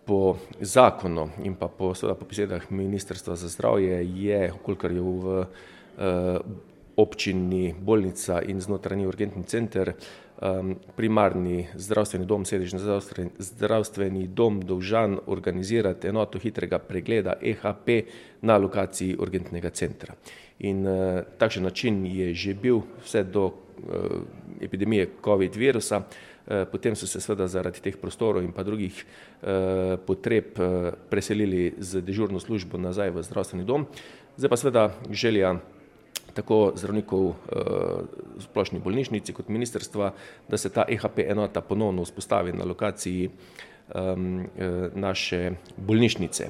Po zakonu in pa po besedah Ministrstva za zdravje je, kolikor je v občini bolnica in znotrajni urgentni center, primarni zdravstveni dom, sedežni zdravstveni dom dolžan organizirati enoto hitrega pregleda EHP na lokaciji urgentnega centra. In takšen način je že bil vse do epidemije COVID virusa. Potem so se seveda zaradi teh prostorov in pa drugih potreb preselili z dežurno službo nazaj v zdravstveni dom. Zdaj pa seveda želja tako zdravnikov v splošni bolnišnici kot ministrstva, da se ta EHP enota ponovno vzpostavi na lokaciji naše bolnišnice.